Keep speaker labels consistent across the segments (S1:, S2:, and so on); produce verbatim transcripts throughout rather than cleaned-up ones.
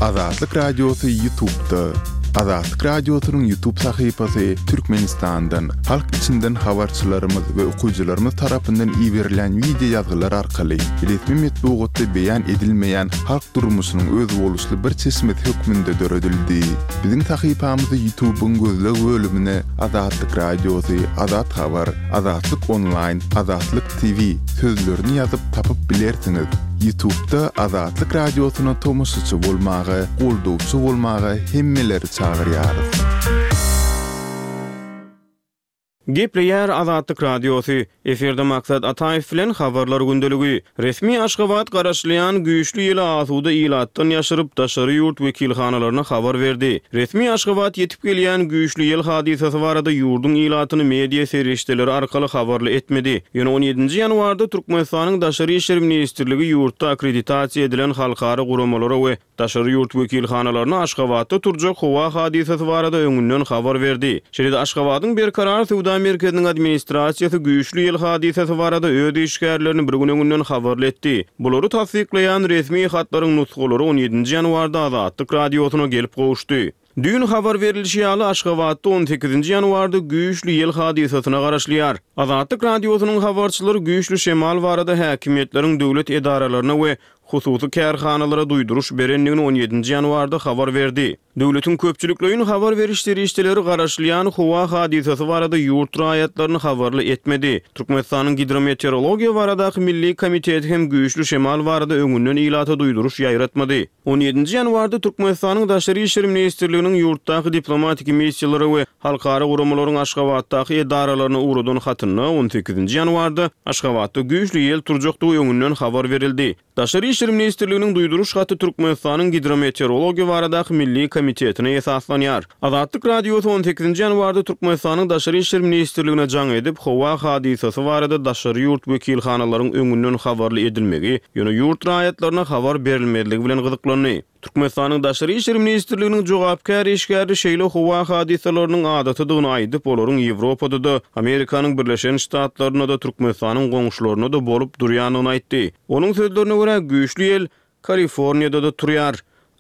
S1: Azatlyk Radiosy YouTube'da. Azatlyk Radiosynyň YouTube sahypasy Türkmenistandan, halk içinden habarçylarymyz we okyjylarymyz tarapyndan iberilen wideo ýazgylar arkaly resmi metbugatda beýan edilmeýän halk durmuşynyň özboluşly bir çeşmesi hökmünde döredildi. Biziň sahypamyzy YouTube'yň gözleg bölümine Azatlyk Radiosy, Azat Habar, Azatlyk Online, Azatlyk T V sözlerini ýazyp tapyp bilersiňiz. YouTube'da Azatlyk Radiosyna tomaşaçy bolmaga, goldawçy bolmaga hemmeleri çagyrýarys.
S2: Gepleýär Azatlyk Radiosy. Efirde Maksat Ataýew bilen habarlar gündeligi. Resmi Aşgabat garaşylýan güýçli ýeli asuda ilatdan ýaşyryp daşary ýurt wekilhanalaryna habar berdi. Resmi Aşgabat ýetip gelýän güýçli ýel hadysasy barada ýurduň ilatyny media serişdeleri arkaly habarly etmedi. Ýöne on ýedinji ýanwarda Türkmenistanyň Daşary İşler Ministrligi ýurtda akkreditasiýa edilen halkara guramalara we daşary ýurt wekilhanalaryna Aşgabatda turjak howa hadysasy barada öňünden habar berdi. Şeýle-de Aşgabadyň Berkarar Söwda Merkeziniň administrasiýasy güýçli ýel hadysasy barada öz işgärlerini bir gün öňünden habarly etdi. Bulary tassyklaýan resmi hatlaryň nusgalary on ýedinji ýanwarda Azatlyk Radiosyna gelip gowuşdy. Düýn habar berilişi ýaly Aşgabatda on sekizinji ýanwarda güýçli ýel hadysasyna garaşylýar. Azatlyk Radiosynyň habarçylary güýçli şemal barada häkimiýetleriň döwlet edaralaryna we hususy kärhanalara duýduruş berendigini on ýedinji ýanwarda habar berdi. Döwletiň köpçülikleýin habar beriş serişdeleri garaşylýan howa hadysasy barada ýurt raýatlaryny habarly etmedi. Türkmenistanyň Gidrometeorologiýa baradaky Milli komiteti hem güýçli şemal barada öňünden ilata duýduruş ýaýratmady. on ýedinji ýanwarda Türkmenistanyň Daşary İşler Ministrliginiň ýurtdaky diplomatik missiýalary we halkara guramalaryň Aşgabatdaky edaralaryna ugradan hatynda on sekizinji ýanwarda Aşgabatda güýçli ýel turjakdygy öňünden habar berildi. Daşary İşler Ministrliginiň duýduruş haty Türkmenistanyň Gidrometeorologiýa baradaky Milli komitetine esaslanýar. Azatlyk Radiosy on sekizinji ýanwarda Türkmenistanyň Daşary İşler Ministrligine jaň edip, howa hadysasy barada daşary ýurt wekilhanalaryň öňünden habarly edilmegi, ýöne ýurt raýatlaryna habar berilmezligi bilen gyzyklandy. Türkmenistanyň Daşary İşler Ministrliginiň jogapkär işgäri şeýle howa hadysalarynyň adatydygyny aýdyp, olaryň Ýewropada-da, Amerikanyň Birleşen Ştatlarynda-da, Türkmenistanyň goňşularynda-da bolup durýandygyny aýtdy. Onuň sözlerine görä güýçli ýel Kaliforniýada-da turýar.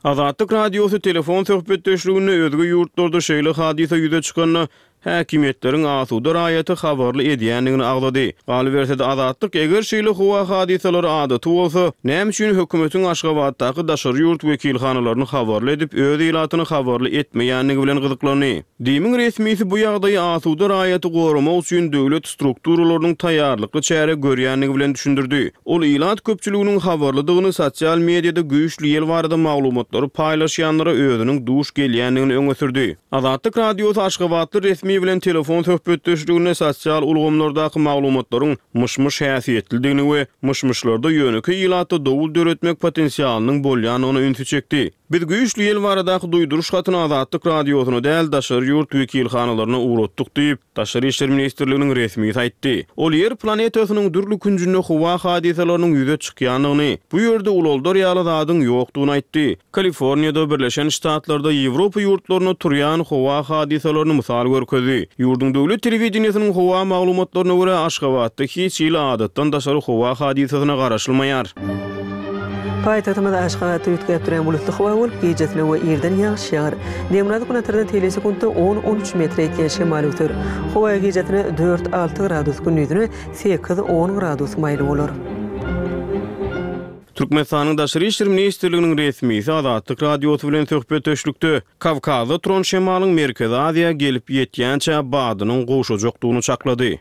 S2: Azatlyk Radiosy telefon söhbetdeşliginde özge ýurtlarda şeýle hadysa ýüze çykanda häkimiýetleriň asuda raýaty habarly edýändigini agzady. Galyberse-de Azatlyk eger şeýle howa hadysalary adaty bolsa, näme üçin hökümetiň Aşgabatdaky daşary ýurt wekilhanalaryny habarly edip, öz ilatyny habarly etmeýändigi bilen gyzyklandy. Dimiň resmisi bu ýagdaýy asuda raýaty goramak üçin döwlet strukturalarynyň taýýarlykly çäre görýändigi bilen düşündirdi. Ol ilat köpçüliginiň habarlydygyny sosial mediada güýçli ýel barada maglumatlary paýlaşýanlara özüniň duş gelýändigini öňe sürdi. Azatlyk Radiosy Aşgabatly resmi bilen telefon söhbetdeşliginde sosial ulgamlardaky maglumatlaryň myş-myş häsiýetlidigini we myş-myşlarda ýönekeý ilatda dowul döretmek potensialynyň bolýandygyny ünsi çekdi. Biz güýçli ýel baradaky duýduruş hatyny Azatlyk Radiosyna däl daşary ýurt wekilhanalaryna ugratdyk diýip, Daşary İşler Ministrliginiň resmisi aýtdy. Ol ýer planetasynyň dürli künjünde howa hadysalarynyň ýüze çykýandygyny, bu ýerde ulaldar ýaly zadyň ýokdugyny aýtdy. Kaliforniýada, Birleşen Ştatlarda, Ýewropa ýurtlarynda turýan howa hadysalaryny mysal görkezdi. Ýurduň döwlet telewideniýesiniň howa maglumatlaryna görä Aşgabatda hiç hili adatdan daşary howa hadysasyna garaşylmaýar.
S3: Paýtagtymyz Aşgabatda üýtgäp duran bulutly howa bolup, gecesine we irden ýagyş ýagar. Demirgazyk günortadan teýle sekuntda on on üç metre ýetýän şemal öser. Howa gecesine dört alty gradus, gündizine sekiz on gradus maýyl bolar.
S2: Türkmenistanyň Daşary İşler Ministrliginiň resmisi Azatlyk Radiosy bilen söhbetdeşlikde Kawkazda turan şemalyň Merkezi Aziýa gelip ýetýänçä badynyň gowşajakdygyny çaklady.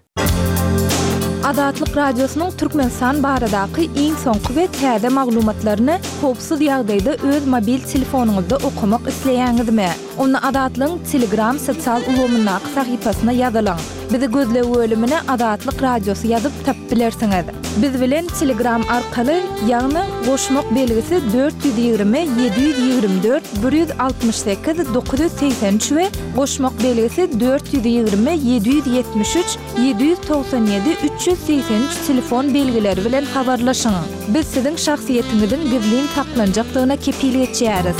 S4: Azatlyk Radiosynyň Türkmenistan baradaky iň soňky we täze maglumatlaryny howpsuz ýagdaýda öz mobil telefonyňyzda okamak isleýäňizmi? Onda Azatlygyň Telegram sosial ulgamyndaky sahypasyna ýazylyň. Bizi gözleg bölümine Azatlyk Radiosy ýazyp tapyp bilersiňiz. Biz bilen Telegram arkaly, ýagny goşmak belgisi dört ýüz ýigrimi, ýedi ýüz ýigrimi dört, bir ýüz altmyş sekiz, dokuz ýüz segsen üç we goşmak belgisi dört ýüz ýigrimi, ýedi ýüz ýetmiş üç, ýedi ýüz togsan ýedi, üç ýüz segsen üç telefon belgileri bilen habarlaşyň. Biz siziň şahsyýetiňiziň gizlin saklanjakdygyna kepil geçýäris.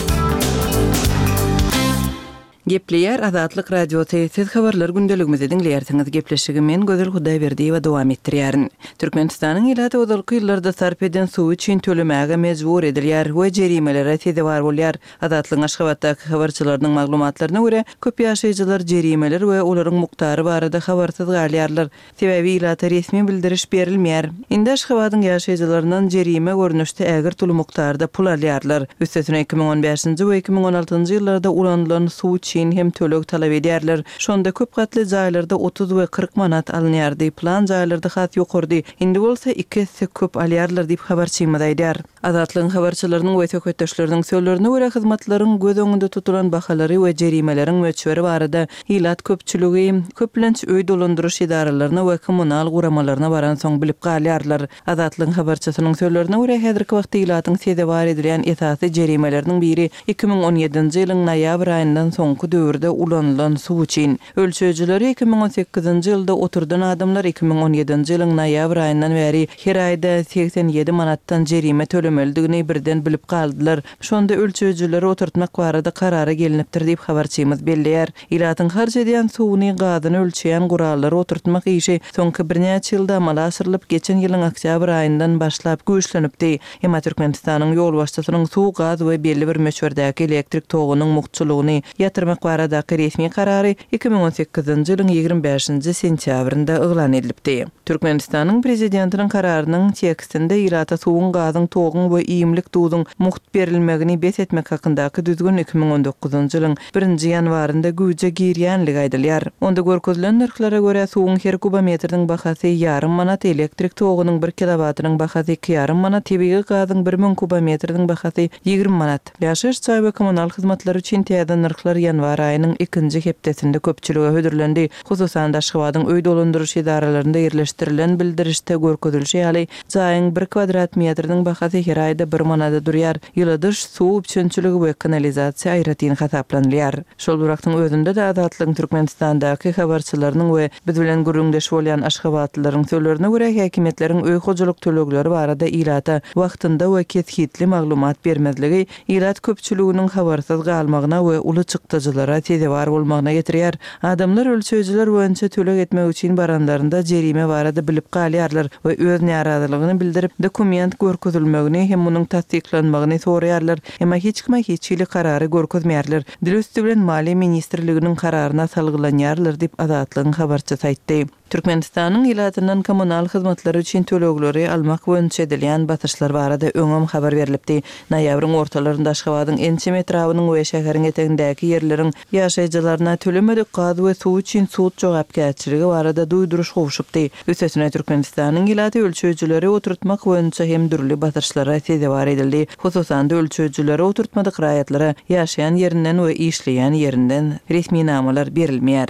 S5: Gepleýär Azatlyk Radiosy, siz habarlar gündeligimizi diňleýärsiňiz. Gepleşigi men Gözel Hudaýberdiýewa dowam etdirýärin. Türkmenistanyň ilaty ozalky ýyllarda sarp eden suwy üçin tölemäge mejbur edilýär we jerimelere sezewar bolýar. Azatlygyň Aşgabatdaky habarçylarynyň maglumatlaryna görä, köp ýaşaýjylar jerimeler we olaryň mukdary barada habarsyz galýarlar. Sebäbi ilata resmi bildiriş berilmeýär. Indi Aşgabadyň ýaşaýjylaryndan jerime görnüşde ägirt uly mukdarda pul alýarlar. Üstesine iki müň on bäşinji we iki müň on altynjy ýyllarda ulanylan suw üçin hem töleg talap edýärler. Şonda köp gatly jaýlarda otuz we kyrk manat alynýardy, plan jaýlarda has ýokarydy. Indi bolsa iki esse köp alýarlar diýip habarçymyz aýdýar. Azatlygyň habarçylarynyň we söhbetdeşleriniň sözlerine görä hyzmatlaryň göz öňünde tutulan bahalary we jerimeleriň möçberi barada ilat köpçüligi köplenç öý dolandyryş edaralaryna we kommunal guramalaryna baransoň bilip galýarlar. Azatlygyň habarçysynyň sözlerine görä häzirki wagtda ilatyň sezewar edilýän esasy jerimeleriniň biri iki müň on ýedinji ýylyň noýabr aýyndan soňky döwürde ulanylan suw üçin. Ölçeýjileri iki müň on sekizinji ýylda oturdan adamlar iki müň on ýedinji ýylyň noýabr aýyndan bäri her aýda segsen ýedi manatdan jerime tölemelidigini birden bilip galdylar. Şonda ölçeýjileri oturtmak barada karara gelinipdir diýip habarçymyz belleýär. Ilatyň harç edýän suwuny, gazyny ölçeýän gurallary oturtmak işi soňky birnäçe ýylda amala aşyrylyp, geçen ýylyň oktýabr aýyndan başlap güýçlenipdi. Emma Türkmenistanyň ýolbaşçysynyň suw, gaz we belli bir möçberdäki elektrik togunyň mugtçulygyny ýatyrmak baradaky resmi karary iki müň on sekizinji ýylyň ýigrimi bäşinji sentýabrynda yglan edilipdi. Türkmenistanyň prezidentiniň kararynyň tekstinde ilata suwuň, gazyň, toguň we iýmlik duzuň mugt berilmegini bes etmek hakyndaky düzgün iki müň on dokuzynjy ýylyň birinji ýanwarynda güýje girýänligi aýdylýar. Onda görkezilen nyrhlara görä suwuň her kubometriniň bahasy ýarym manat, elektrik togunyň bir kilowatynyň bahasy iki ýarym manat, tebigy gazyň bir müň kubometriniň bahasy ýigrimi manat. Ýaşaýyş jaý we kommunal hyzmatlary üçin täze nyrhlar ýanwar aýynyň ikinji hepdesinde köpçülige hödürlendi. Hususan Aşgabadyň öý dolandyryş edaralarynda ýerleşdirilen bildirişde görkezilişi ýaly, jaýyň bir kvadrat metriniň bahasy her aýda bir manada durýar. Ýyladyş, suw üpjünçiligi we kanalizasiýa aýratyn hasaplanylýar. Şol bir wagtyň özünde-de Azatlygyň Türkmenistandaky habarçylarynyň we biz bilen gürrüňdeş bolýan aşgabatlylaryň sözlerine görä häkimiýetleriň öý hojalyk tölegleri barada ilata wagtynda we kesgitli maglumat bermezligi ilat köpçüliginiň habarsyz galmagyna we uly çykdajylara sezewar bolmagyna getirýär. Adamlar ölçeýjiler boýunça töleg etmek üçin baranlarynda jerime barada bilip galýarlar we öz närazylygyny bildirip, dokument görkezilmegini hem munuň tassyklanmagyny soraýarlar. Emma hiç kime hiç hili karary görkezmeýärler. Dil üsti bilen Maliýe ministrliginiň kararyna salgylanýarlar diýip Azatlygyň habarçysy aýtdy. Türkmenistanyň ilatyndan kommunal hyzmatlary üçin tölegleri almak boýunça edilýän basyşlar barada öňem habar berlipdi. Noýabryň ortalarynda Aşgabadyň ençeme etrabynyň we şäheriň etegindäki ýerleriň ýaşaýjylaryna tölemedik gaz we suw üçin sud jogapkärçiligi barada duýduryş gowşupdy. Üstesine Türkmenistanyň ilaty ölçeýjileri oturtmak boýunça hem dürli basyşlara sezewar edildi. Hususan-da ölçeýjileri oturtmadyk raýatlara ýaşaýan ýerinden we işleýän ýerinden resminamalar berilmeýär.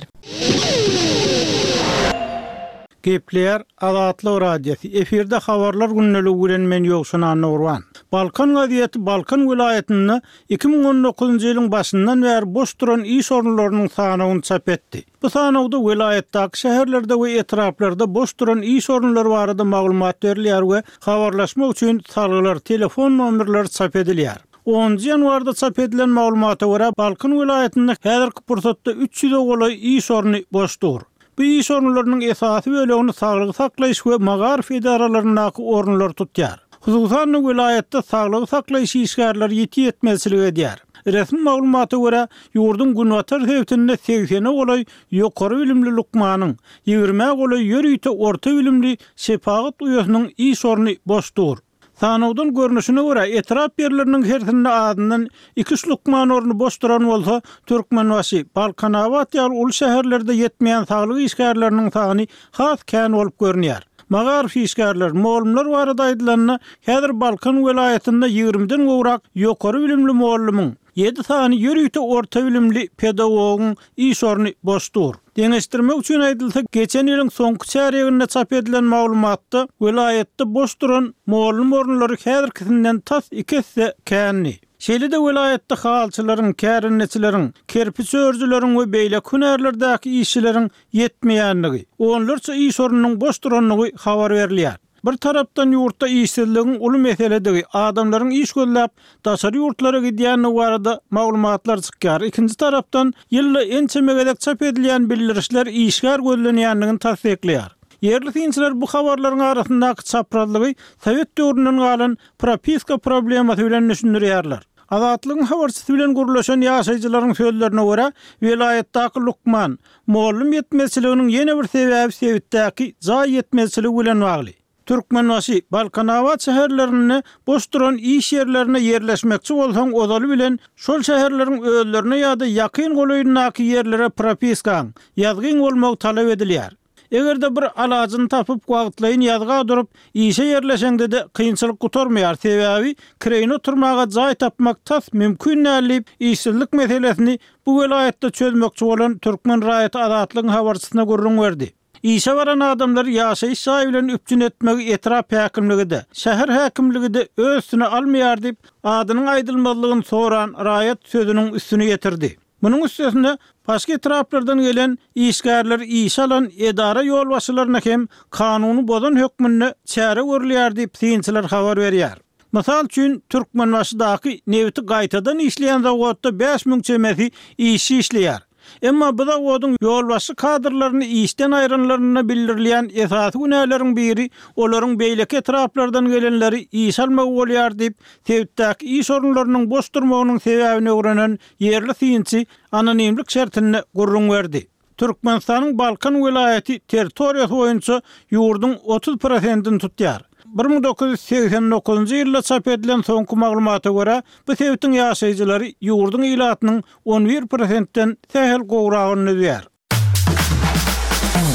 S6: Gepleýär Azatlyk Radiosy. Efirde habarlar gündeligi bilen men Ýowşan Annagurban. Balkan gazeti Balkan welaýatynda iki müň on dokuzynjy ýylyň başyndan bäri boş duran iş orunlarynyň sanawyny çap etdi. Bu sanawda welaýatdaky şäherlerde we etraplarda boş duran iş orunlary barada maglumat berilýär we habarlaşmak üçin salgylar, telefon nomerleri çap edilýär. Onunjy ýanwarda çap edilen maglumata görä Balkan welaýatynda häzirki pursatda üç ýüze golaý iş orny boş dur. Bu iş orunlarynyň esasy bölegini saglygy saklaýyş we magaryf edaralaryndaky orunlar tutýar. Hususan welaýatda saglygy saklaýyş işgärleri ýeti ýetmezçilik edýär. Resmi maglumata görä, ýurduň günbatar sebitinde segsene golaý ýokary bilimli lukmanyň, ýigrime golaý ýörite orta bilimli şepagat uýasynyň iş orny boş dur. Sanawdan görnüşine görä, etrap ýerleriniň hersinde azyndan iki üç lukman orny boş duran bolsa, Türkmenbaşy, Balkanabat ýaly uly şäherlerde ýetmeýän saglyk işgärleriniň sany has kän bolup görünýär. Magaryf işgärler, mugallymlar barada aýdylanda, häzir Balkan welaýatynda ýigrimiden gowrak ýokary bilimli mugallymyň, ýedi sany ýörite orta bilimli pedagogyň iş orny boş dur. Deňeşdirmek üçin aýdylsa, geçen ýylyň soňky çärýeginde çap edilen maglumatda welaýatda boş duran mugallym orunlary häzirkisinden tas iki esse kändi. Şeýle-de welaýatda halçylaryň, kärendeçileriň, kerpiç örüjileriň we beýleki hünärlerdäki işçileriň ýetmeýänligi, onlarça iş ornunyň boş duranlygy habar berilýär. Bir tarapdan ýurtda işsizligiň uly meseledigi, adamlaryň iş gözläp daşary ýurtlara gidýändigi barada maglumatlar çykýar. Ikinji tarapdan ýylda ençeme gezek çap edilýän bildirişler işgär gözlenýändigini tassyklaýar. Ýerli synçylar bu habarlaryň arasyndaky çaprazlygy Sowet döwründen galan propiska problemasy bilen düşündirýärler. Azatlygyň habarçysy bilen gürleşen ýaşaýjylaryň sözlerine görä, welaýatdaky lukman, mugallym ýetmezçiliginiň ýene bir sebäbi sebitdäki jaý ýetmezçiligi bilen bagly. Türkmenbaşy, Balkanabat şäherlerinde boş duran iş ýerlerine ýerleşmekçi bolsaň, ozaly bilen şol şäherleriň özlerine ýa-da ýakyn golaýyndaky ýerlere propiskaň, ýazgyň bolmagy talap edilýär. Eger-de bir alajyny tapyp, wagtlaýyn ýazga durup, işe ýerleşeňde-de kynçylyk gutarmaýar, sebäbi kireýine oturmaga jaý tapmak tas mümkin däl diýip, işsizlik meselesini bu welaýatda çözmekçi bolan türkmen raýaty Azatlygyň habarçysyna gürrüň berdi. Işe baran adamlary ýaşaýyş jaýy bilen üpjün etmegi etrap häkimligi-de, şäher häkimligi-de öz üstüne almaýar diýip, adynyň aýdylmazlygyny soran raýat sözüniň üstüni ýetirdi. Munuň üstesine, başga etraplardan gelen işgärleri işe alan edara ýolbaşçylaryna hem kanuny bozan hökmünde çäre görülýär diýip, synçylar habar berýär. Mysal üçin, Türkmenbaşydaky nebiti gaýtadan işleýän zawodda bäş müň çemesi işçi işleýär. Emma bu zawodyň ýolbaşçy kadrlaryny işden aýranlarynda bildirilýän esasy günäleriň biri olaryň beýleki etraplardan gelenleri işe almagy bolýar diýip, sebitdäki iş orunlarynyň boş durmagynyň sebäbini öwrenen ýerli synçy anonimlik şertinde gürrüň berdi. Türkmenistanyň Balkan welaýaty territoriýasy boýunça ýurduň otuz prosentini tutýar. Bir müň dokuz ýüz segsen dokuzynjy ýylda çap edilen soňky maglumata görä, bu sebitiň ýaşaýjylary ýurduň ilatynyň on bir prosentden sähel gowragyny düzýär.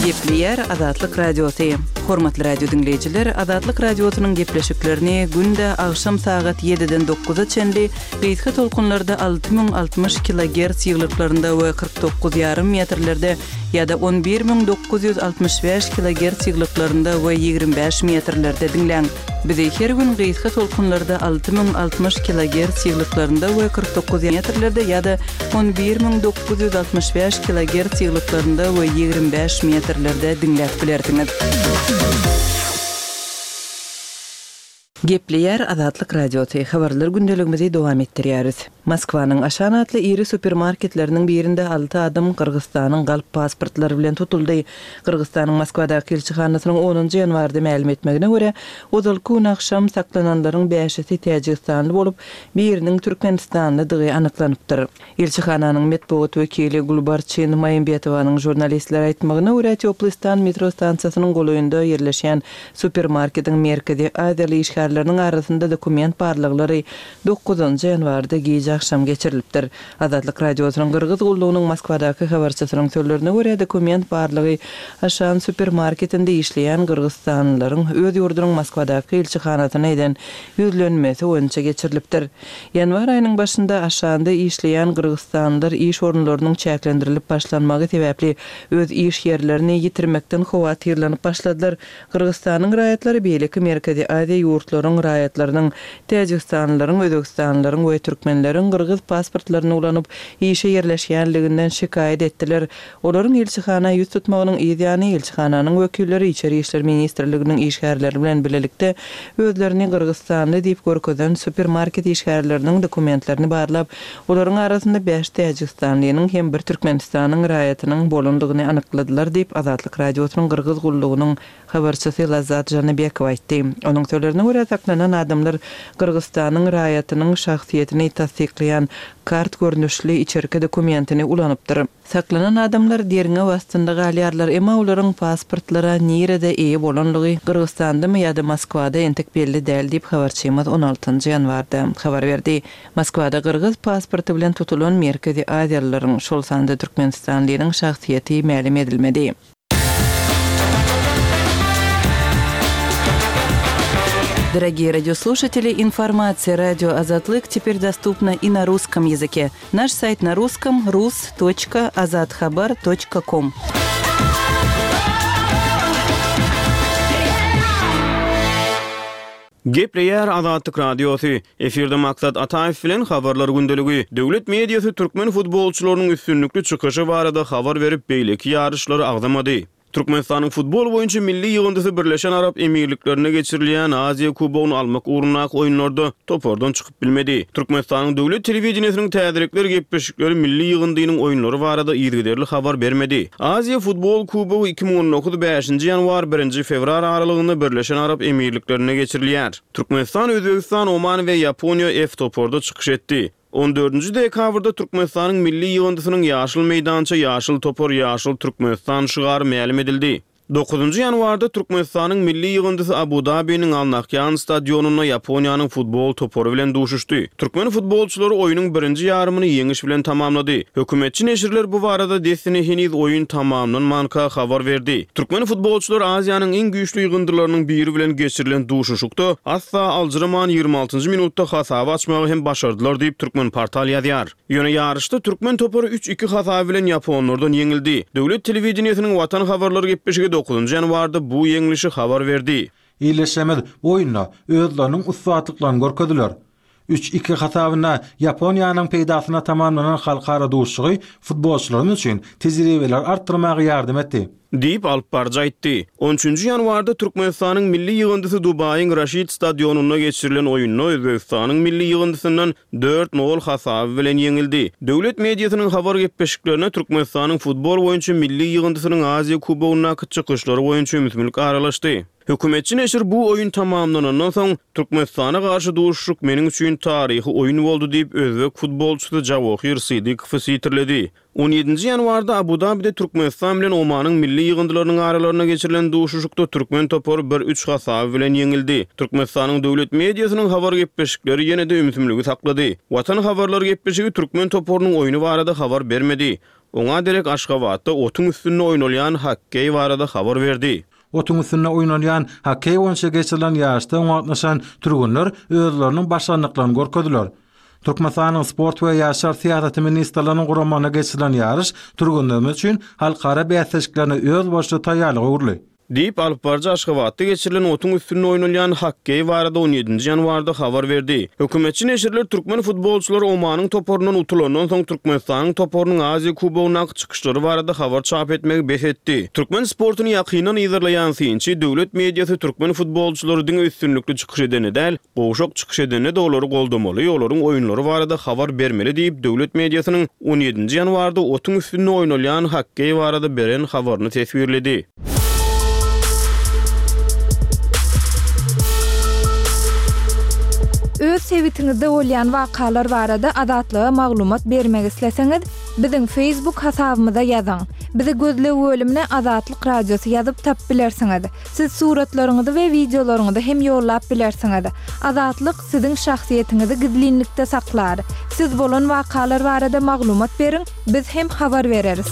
S5: Gepleýär Azatlyk Radiosy. Hormatly radio diňleýjiler, Azatlyk Radiosynyň gepleşiklerini günde agşam sagat ýediden dokuza çenli gysga tolkunlarda alty müň altmyş kilogerts ýyglyklarynda we kyrk dokuz ýarym metrlerde ýa-da on bir müň dokuz ýüz altmyş bäş kilogerts ýyglyklarynda we ýigrimi bäş metrlerde diňläň. Bizi her gün gysga tolkunlarda alty müň altmyş kilogerts ýyglyklarynda we kyrk dokuz metrlerde ýa-da on bir müň dokuz ýüz altmyş bäş kilogerts ýyglyklarynda we ýigrimi bäş metrlerde diňläp bilersiňiz. Gepleýär Azatlyk Radiosy, habarlar gündeligimizi dowam etdirýäris. Moskwanyň Aşan atly iri supermarketleriniň birinde alty adam Gyrgyzystanyň galp pasportlary bilen tutuldy. Gyrgyzystanyň Moskwadaky ilçihanasynyň onunjy ýanwarda mälim etmegine görä, ozalky gün agşam saklananlaryň bäşisi täjigistanly bolup, biriniň türkmenistanlydygy anyklanypdyr. Ilçihananyň metbugat wekili Gulbarçyn Maýymbetowanyň žurnalistlere aýtmagyna görä, Teplystan metro stansiýasynyň golaýynda ýerleşýän supermarketiň Merkezi Aziýaly işgärleriniň arasynda dokument barlaglary dokuzynjy ýanwarda gije agşam geçirilipdir. Azatlyk Radiosynyň Gyrgyz gullugynyň Moskwadaky habarçysynyň sözlerine görä, dokument barlagy Aşan supermarketinde işleýän gyrgyzstanlylaryň öz ýurdunyň Moskwadaky ilçihanasyna eden ýüzlenmesi boýunça geçirilipdir. Ýanwar aýynyň başynda Aşanda işleýän gyrgyzstanlylar iş orunlarynyň çäklendirilip başlanmagy sebäpli öz iş ýerlerini ýitirmekden howatyrlanyp başladylar. Gyrgyzstanyň raýatlary beýleki Merkezi Aziýa ýurtlaryň raýatlarynyň, täjigistanlylaryň, özbegistanlylaryň we türkmenleriň gyrgyz pasportlaryny ulanyp işe ýerleşýänliginden şikaýat etdiler. Olaryň ilçihana ýüz tutmagynyň yz ýany ilçihananyň wekilleri Içeri işler ministrliginiň işgärleri bilen bilelikde özlerini gyrgyzstanly diýip görkezen supermarket işgärleriniň dokumentlerini barlap, olaryň arasynda bäş täjigistanlynyň hem bir Türkmenistanyň raýatynyň bolandygyny anykladylar diýip, Azatlyk Radiosynyň Gyrgyz gullugynyň habarçysy Lazzat Žanybekowa aýtdy. Onuň sözlerine görä, saklanan adamlar Gyrgyzystanyň raýatynyň şahsyýetini tassyklaýan kart görnüşli içerki dokumentini ulanypdyr. Saklanan adamlar derňew astynda galýarlar, emma olaryň pasportlara nirede eýe bolanlygy Gyrgyzystandamy ýa-da Moskwada entek belli däl diýip, habarçymyz on altynjy ýanwarda habar berdi. Moskwada gyrgyz pasporty bilen tutulan Merkezi Aziýalylaryň, şol sanda türkmenistanlynyň şahsyýeti mälim edilmedi. Дорогие радиослушатели, информация радио Азатлык теперь доступна и на русском языке. Наш сайт на русском рус точка азатхабар точка ком.
S2: Gepleýär Azatlyk Radiosy. Efirde Maksat Ataýew bilen habarlar gündeligi. Döwlet mediasy türkmen futbolçylarynyň üstünlikli çykyşy barada habar berip, beýleki ýaryşlary agzamady. Türkmenistanyň futbol boýunça milli ýygyndysy Birleşen Arap Emirliklerinde geçirilýän Aziýa kubogyny almak ugrundaky oýunlarda topardan çykyp bilmedi. Türkmenistanyň döwlet telewideniýesiniň täzelikler gepleşikleri milli ýygyndynyň oýunlary barada yzygiderli habar bermedi. Aziýa futbol kubogy iki müň on dokuz bäşinji ýanwar, birinji fewral aralygynda Birleşen Arap Emirliklerinde geçirilýär. Türkmenistan, Özbegistan, Oman we Ýaponiýa F toparda çykyş etdi. On dördünji dekabrda Türkmenistanyň milli ýygyndysynyň Ýaşyl meýdança, ýaşyl topar, ýaşyl Türkmenistan şygary mälim edildi. Dokuzynjy ýanwarda Türkmenistanyň milli ýygyndysy Abu-Dabiniň Al-Nahýan stadionynda Ýaponiýanyň futbol topary bilen duşuşdy. Türkmen futbolçylary oýnuň birinji ýarymyny ýeňiş bilen tamamlady. Hökümetçi neşirler bu barada dessine heniz oýun tamamlanmanka habar berdi. Türkmen futbolçylary Aziýanyň iň güýçli ýygyndylarynyň biri bilen geçirilen duşuşykda asla aljyraman ýigrimi altynjy minutda hasaby açmagy hem başardylar diýip, Türkmenportal ýazýar. Ýöne ýaryşda türkmen topary üç iki hasaby bilen ýaponlardan ýeňildi. Döwlet telewideniýesiniň Watan habarlary gepleşigi dokuzynjy ýanwarda bu ýeňlişi habar berdi.
S7: Ildeşlerimiz bu oýunda özleriniň ussatlyklaryny görkezdiler. Üç iki hasabynda Ýaponiýanyň peýdasyna tamamlanan halkara duşuşygy futbolçylarymyz üçin tejribeleri artdyrmaga ýardam etdi.
S2: Diýip, alyp baryjy aýtdy. On üçünji ýanwarda Türkmenistanyň milli ýygyndysy Dubaýyň Raşid stadionynda geçirilen oýunda Özbegistanyň milli ýygyndysyndan dört nol hasaby bilen ýeňildi. Döwlet mediasynyň habar gepleşiklerine Türkmenistanyň futbol boýunça milli ýygyndysynyň Aziýa kubogyndaky çykyşlary boýunça ümsümlik aralaşdy. Hökümetçi neşir bu oýun tamamlanandan soň, Türkmenistana garşy duşuşyk meniň üçin taryhy oýun boldy diýip, özbek futbolçysy Jawohir Sydykowy sitirledi. On ýedinji ýanwarda Abu-Dabide Türkmenistan bilen Omanyň milli ýygyndylarynyň aralarynda geçirilen duşuşykda türkmen topary bir üç hasaby bilen ýeňildi. Türkmenistanyň döwlet mediasynyň habar gepleşikleri ýene-de ümsümligi saklady. Watan habarlar gepleşigi türkmen toparynyň oýny barada habar bermedi. Oňa derek Aşgabatda otuň üstünde oýnalýan hokkeý barada habar berdi.
S7: Otuň üstünde oýnalýan hokkeý boýunça geçirilen ýaryşda oňa gatnaşan türgenler özleriniň başarnyklaryny görkezdiler. Türkmenistanyň Sport we ýaşlar syýasaty ministrliginiň guramagynda geçirilen ýaryş türgenlerimiz üçin halkara bäsleşiklerine özboluşly taýýarlyga öwrüldi.
S2: Diýip, alyp baryjy Aşgabatda geçirilen otuň üstünde oýnalýan hokkeý barada on ýedinji ýanwarda habar berdi. Hökümetçi neşirler türkmen futbolçylary Omanyň toparyndan utulandan soň Türkmenistanyň toparynyň Aziýa kubogyndaky çykyşlary barada habar çap etmegi bes etdi. Türkmen sportuny ýakyndan yzarlaýan synçy, döwlet mediasy türkmen futbolçylary diňe üstünlikli çykyş edende däl, gowşak çykyş edende-de olary goldamaly, olaryň oýunlary barada habar bermeli diýip, döwlet mediasynyň on ýedinji ýanwarda otuň üstünde oýnalýan hokkeý barada beren habaryny teswirledi.
S4: Öz sebitiňizde bolýan wakalar barada Azatlyga maglumat bermek isleseňiz, biziň Facebook hasabymyza ýazyň. Bizi gözleg bölümine Azatlyk Radiosy ýazyp tap bilersiňiz. Siz suratlaryňyzy we wideolaryňyzy hem ýollap bilersiňiz. Azatlyk siziň şahsyýetiňizi gizlinlikde saklar. Siz bolan wakalar barada maglumat beriň, biz hem habar bereris.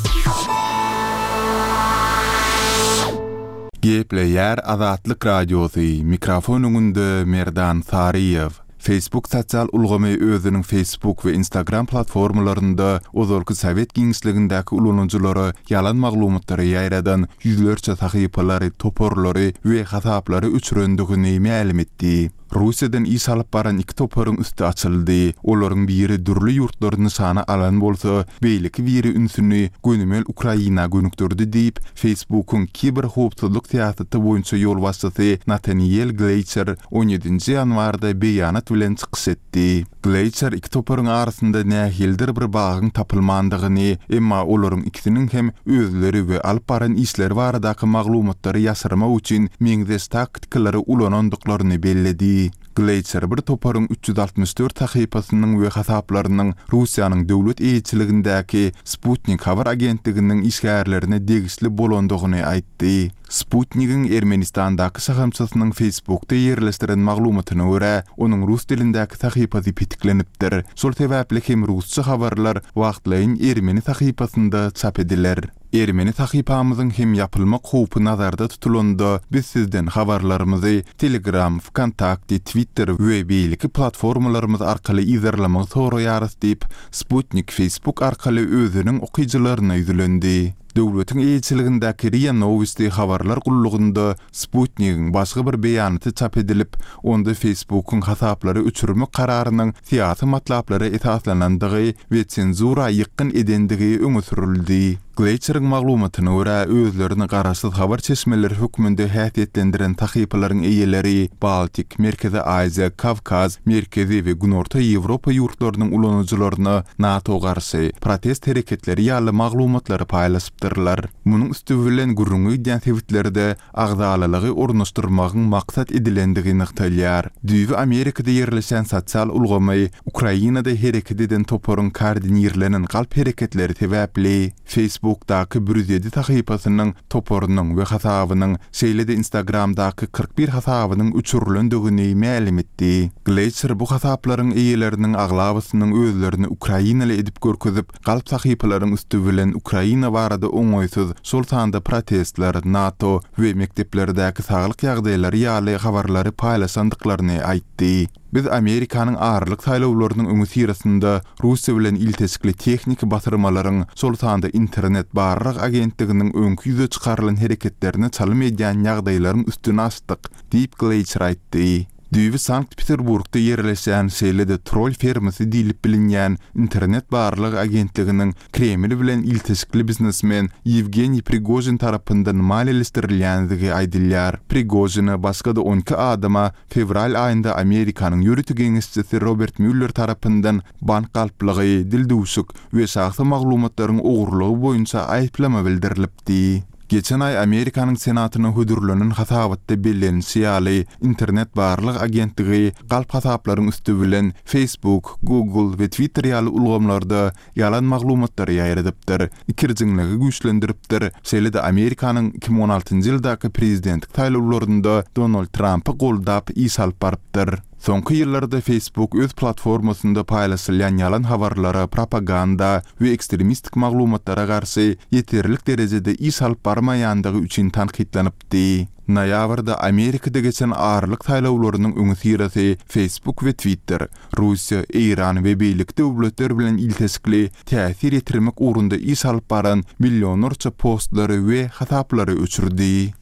S1: Gepleýär Azatlyk Radiosy, mikrofon öňünde Merdan Saryýew. Facebook sosial ulgamy özüniň Facebook we Instagram platformalarynda ozalky sowet giňişligindäki ulanyjylara ýalan maglumatlary ýaýradan ýüzlerçe sahypalary, toparlary we hasaplary öçürendigini mälim etdi. Russiýadan iş alyp baran iki toparyň üsti açyldy. Olaryň biri dürli ýurtlary nyşana alan bolsa, beýleki biri ünsüni gönümel Ukraina gönükdirdi diýip, Facebookyň kiberhowpsuzlyk syýasaty boýunça ýolbaşçysy Nathaniel Gleicher on ýedinji ýanwarda beýanat bilen çykyş etdi. Gleicher iki toparyň arasynda nähilidir bir bagyň tapylmandygyny, emma olaryň ikisiniň hem özleri we alyp baran işleri baradaky maglumatlary ýaşyrmak üçin meňzeş taktikalary ulanandyklaryny belledi. Gleicher bir toparyň üç ýüz altmyş dört sahypasynyň we hasaplarynyň Russiýanyň döwlet eýeçiligindäki Sputnik habar agentliginiň işgärlerine degişli bolandygyny aýtdy. Sputnigiň Ermenistandaky şahamçasynyň Facebookda ýerleşdiren maglumatyna görä, onuň rus dilindäki sahypasy petiklenipdir. Şol sebäpli hem rusça habarlar wagtlaýyn ermeni sahypasynda çap ediler. Ermeni sahypamyzyň hem ýapylmak howpy nazarda tutulanda, biz sizden habarlarymyzy Telegram, Vkontakte, Twitter we beýleki platformalarymyz arkaly yzarlamagy soraýarys diýip, Sputnik Facebook arkaly özüniň okyjylaryna ýüzlendi. Döwletiň eýeçiligindäki RIA Novosti habarlar gullugynda Sputnigiň başga bir beýanaty çap edilip, onda Facebookyň hasaplary öçürmek kararynyň syýasy matlaplara esaslanandygy we senzura ýykgyn edendigi öňe sürüldi. Glacieriň maglumatyna görä, özlerini garaşsyz habar çeşmeleri hökmünde häsiýetlendiren sahypalaryň eýeleri Baltik, Merkezi Aziýa, Kawkaz, Merkezi we Günorta Ýewropa ýurtlarynyň ulanyjylaryna NATO garşy protest hereketleri ýaly maglumatlary paýlaşypdyrlar. Munuň üsti bilen gürrüňi gidýän sebitlerde agzalalygy ornaşdyrmagyň maksat edilendigi nygtalýar. Düýbi Amerikada ýerleşen sosial ulgamy Ukrainada hereket eden toparyň koordinirlenen galp hereketleri sebäpli Facebookdaky bir ýüz ýedi sahypasynyň toparynyň we hasabynyň, şeýle-de Instagramdaky kyrk bir hasabynyň öçürilendigini mälim etdi. Glacier bu hasaplaryň eýeleriniň aglabasynyň özlerini ukrainaly edip görkezip, galp sahypalaryň üsti bilen Ukraina barada oňaýsyz, şol sanda protestler, NATO we mekdeplerdäki saglyk ýagdaýlary ýaly habarlary paýlaşandyklaryny aýtdy. Biz Amerikanyň aralyk saýlawlarynyň öňüsyrasynda Russiýa bilen ilteşikli tehniki basyrmalaryň, şol sanda internet barlag agentliginiň öňki ýüze çykarylan hereketlerine çalym edýän ýagdaýlaryň üstüni açdyk, diýip, Gleýçer aýtdy. Düýbi Sankt-Peterburgda ýerleşýän, şeýle-de troll fermasy diýlip bilinýän internet barlag agentliginiň Kreml bilen ilteşikli biznesmen Ýewgeniý Prigožin tarapyndan maliýeleşdirilýändigi aýdylýar. Prigožine başga-da on iki adama fewral aýynda Amerikanyň ýörite geňeşçisi Robert Müller tarapyndan bank galplygy, dildüwşük we şahsy maglumatlaryň ogurlygy boýunça aýyplama bildirilipdi. Geçen aý Amerikanyň Senatyna hödürlenen hasabatda bellenilişi ýaly, internet barlag agentligi galp hasaplaryň üsti bilen Facebook, Google we Twitter ýaly ulgamlarda ýalan maglumatlary ýaýradypdyr, ikirjiňligi güýçlendiripdir, şeýle-de Amerikanyň iki müň on altynjy ýyldaky prezidentlik saýlawlarynda Donald Trampy goldap iş alyp barypdyr. Soňky ýyllarda Facebook öz platformasynda paýlaşylýan ýalan habarlara, propaganda we ekstremistik maglumatlara garşy ýeterlik derejede iş alyp barmaýandygy üçin tankytlanypdy. Noýabrda Amerikada geçen aralyk saýlawlarynyň öňüsyrasy Facebook we Twitter Russiýa, Eýran we beýleki döwletler bilen ilteşikli täsir ýetirmek ugrunda iş alyp baran millionlarça postlary we hasaplary öçürdi.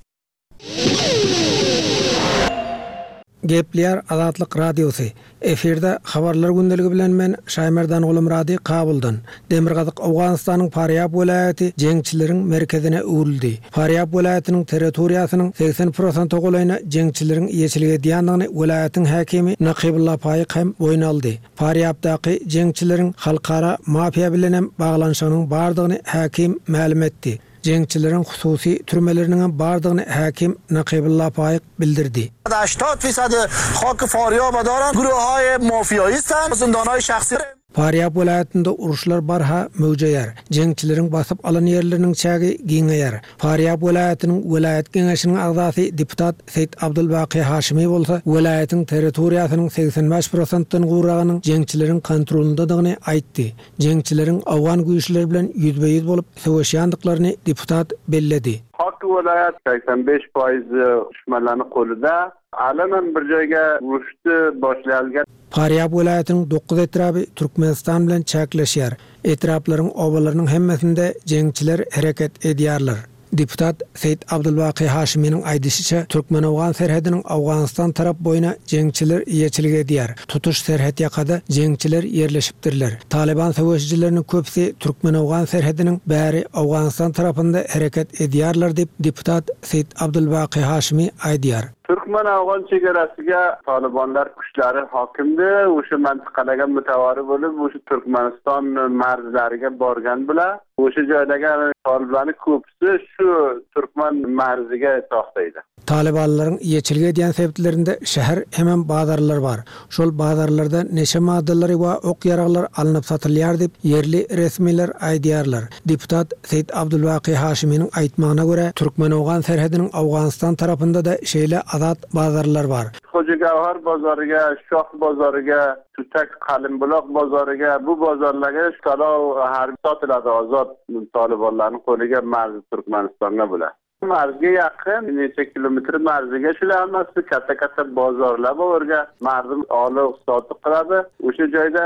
S8: Gepleýär Azatlyk Radiosy. Efirde Habarlar gündeligi bilen men Şaýmerdan Gulumyrady Kabuldan. Demirgazyk Owganystanyň Farýab welaýaty jeňçileriň merkezine öwrüldi. Farýab welaýatynyň territoriýasynyň segsen prosente golaýyna jeňçileriň eýeçilik edýändigini welaýatyň häkimi Nakybulla Faýyk hem boýun aldy. Farýabdaky jeňçileriň halkara mafiýa bilenem baglanyşygynyň bardygyny häkim mälim etdi. Jeňçileriň hususy türmeleriniňem bardygyny häkim Nakybulla Faýyk bildirdi.
S9: Haştad fisad hak Farýaba daran guruhaý mafiýaýy zindanhaý şahsy.
S8: Farýab welaýatynda uruşlar barha möwjeýär. Jeňçileriň basyp alan ýerleriniň çägi giňeýär. Farýab welaýatynyň welaýat geňeşiniň agzasy deputat Seýit Abdulbaky Haşimi bolsa welaýatyň territoriýasynyň segsen bäş prosentden gowragynyň jeňçileriň kontrolyndadygyny aýtdy. Jeňçileriň owgan güýçleri bilen ýüzbe-ýüz bolup söweşýändiklaryny deputat belledi.
S10: Hak welaýat segsen bäş paýyz düşmanlaryny golunda, alanan bir jaýga uruşdy başlaýalgan.
S8: Farýab welaýatynyň dokuz etraby Türkmenistan bilen çäkleşýär. Etraplaryň obalarynyň hemmesinde jeňçiler hereket edýärler. Deputat Seýit Abdulbaky Haşiminiň aýdyşyça, Türkmen-Owgan serhediniň Owganystan tarap boýuna jeňçiler eýeçilik edýär. Tutuş serhet ýakada jeňçiler ýerleşipdirler. Taliban söweşijileriniň köpüsi Türkmen-Owgan serhediniň bäri Owganystan tarapynda hereket edýärler diýip, deputat Seýit Abdulbaky Haşimi aýdýar.
S10: Türkmen-Owgan çegeresiga Talibanlar kuchlari hokimdi, o'sha mintaqalarga mutavari bo'lib, o'sha Turkmaniston marzlariga borgan bular. O'sha joylarga toliblarning ko'pisi shu turkman marziga to'xtaydi.
S8: Talibanlaryň eýeçilik edýän sebitlerinde şäher hemem bazarlar bar. Şol bazarlarda neşe maddalary we ok-ýaraglar alnyp satylýar diýip ýerli resmiler aýdýarlar. Deputat Seýit Abdulbaky Haşiminiň aýtmagyna görä, Türkmen-Owgan serhediniň Owganystan tarapynda da şeýle azat bazarlar bar.
S10: Hoca Gawhar bazaryga, Şoh bazaryga, Tutak Qalimbuloq bazaryga, bu bozorlarga talo harbiy sotiladi ozod talibanlarning qo'liga marzi Turkmanistonga bular. Marzga yaqin necha kilometr marziga shular hammasi katta-katta bozorlar bor, o'rga marzi olib sotib qiladi. O'sha joyda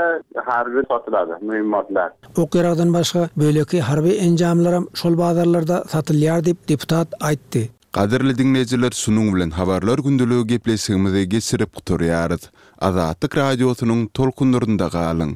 S10: harbiy sotiladi muhimotlar.
S8: O'q-yarog'dan boshqa beýleki harbiy enjamlar ham şol bozorlarda satylýar diýip deputat aýtdy.
S1: Gadyrly dinleýjiler, şunuň bilen habarlar gündeligi gepleşigimizi geçirip gutarýarys. Azatlyk radiosynyň tolkunlarynda galyň.